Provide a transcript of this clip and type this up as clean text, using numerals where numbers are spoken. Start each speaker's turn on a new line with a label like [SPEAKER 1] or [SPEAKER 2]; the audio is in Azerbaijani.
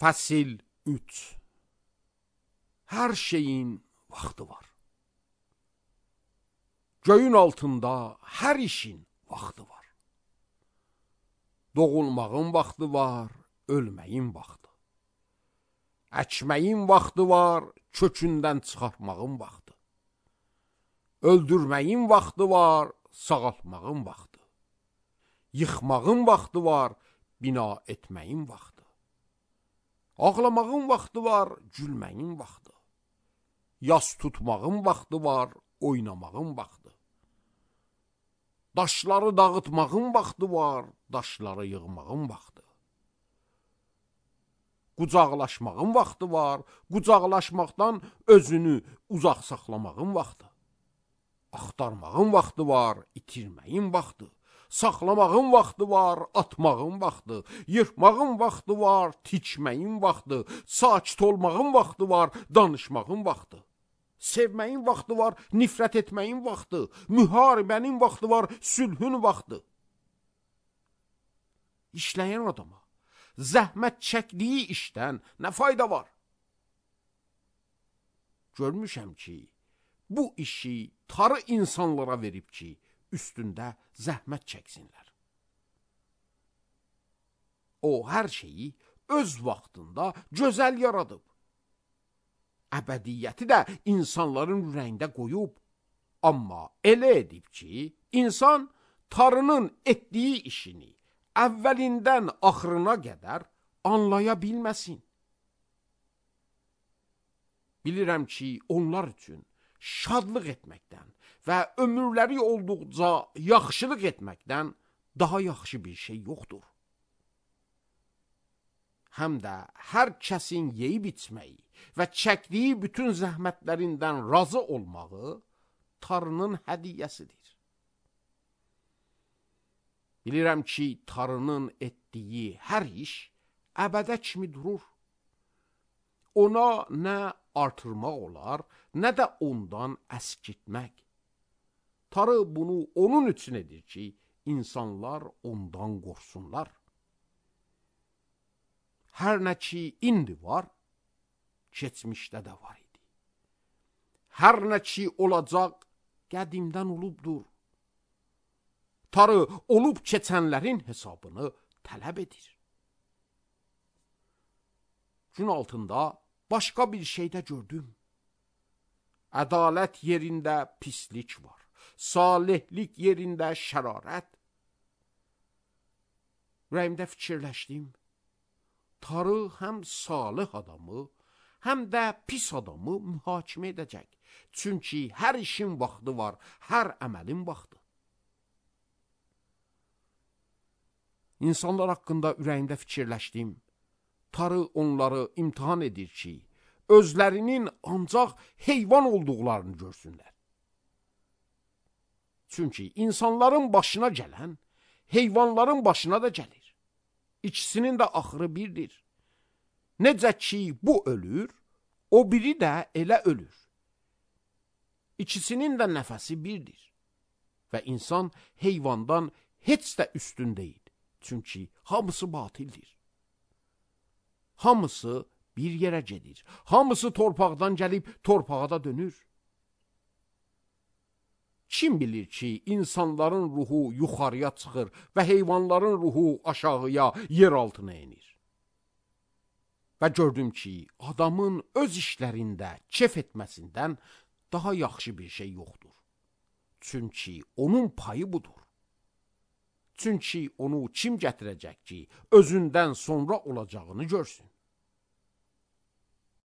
[SPEAKER 1] Fəsil 3. Hər şeyin vaxtı var. Göyün altında hər işin vaxtı var. Doğulmağın vaxtı var, ölməyin vaxtı. Əkməyin vaxtı var, kökündən çıxartmağın vaxtı. Öldürməyin vaxtı var, sağaltmağın vaxtı. Yıxmağın vaxtı var, bina etməyin vaxtı. Ağlamağın vaxtı var, gülməyin vaxtı. Yas tutmağın vaxtı var, oynamağın vaxtı. Daşları dağıtmağın vaxtı var, daşları yığmağın vaxtı. Qucaqlaşmağın vaxtı var, qucaqlaşmaqdan özünü uzaq saxlamağın vaxtı. Axtarmağın vaxtı var, itirməyin vaxtı. Saxlamağın vaxtı var, atmağın vaxtı. Yırtmağın vaxtı var, tikməyin vaxtı. Sakit olmağın vaxtı var, danışmağın vaxtı. Sevməyin vaxtı var, nifrət etməyin vaxtı. Müharibənin vaxtı var, sülhün vaxtı. İşləyən adama zəhmət çəkdiyi işdən nə fayda var? Görmüşəm ki, bu işi tarı insanlara verib ki, üstündə zəhmət çəksinlər. O, hər şeyi öz vaxtında gözəl yaradıb. Əbədiyyəti də insanların ürəyində qoyub. Amma elə edib ki, insan tarının etdiyi işini əvvəlindən axırına qədər anlaya bilməsin. Bilirəm ki, onlar üçün şadlıq etməkdən və ömürləri olduqca yaxşılıq etməkdən daha yaxşı bir şey yoxdur. Həm də hər kəsin yeyib içməyi və çəkdiyi bütün zəhmətlərindən razı olmağı tarının hədiyyəsidir. Bilirəm ki, tarının etdiyi hər iş əbədə kimi durur. Ona nə artırmaq olar, nə də ondan əskitmək. Tarı bunu onun üçün edir ki, insanlar ondan qorxsunlar. Hər nə ki, indi var, keçmişdə də var idi. Hər nə ki, olacaq, qədimdən olubdur. Tarı olub keçənlərin hesabını tələb edir. Gün altında başqa bir şeydə gördüm. Ədalət yerində pislik var. Salihlik yerində şərarət. Ürəyimdə fikirləşdim. Tarı həm salih adamı, həm də pis adamı mühakimə edəcək. Çünki hər işin vaxtı var, hər əməlin vaxtı. İnsanlar haqqında ürəyimdə fikirləşdim. Tarı onları imtihan edir ki, özlərinin ancaq heyvan olduqlarını görsünlər. Çünki insanların başına gələn, heyvanların başına da gəlir. İkisinin də axırı birdir. Necə ki, bu ölür, o biri də elə ölür. İkisinin də nəfəsi birdir. Və insan heyvandan heç də üstün deyil. Çünki hamısı batildir. Hamısı bir yerə gedir. Hamısı torpaqdan gəlib torpağa da dönür. Kim bilir ki, insanların ruhu yuxarıya çıxır və heyvanların ruhu aşağıya, yer altına enir. Və gördüm ki, adamın öz işlərində kef etməsindən daha yaxşı bir şey yoxdur. Çünki onun payı budur. Çünki onu kim gətirəcək ki, özündən sonra olacağını görsün?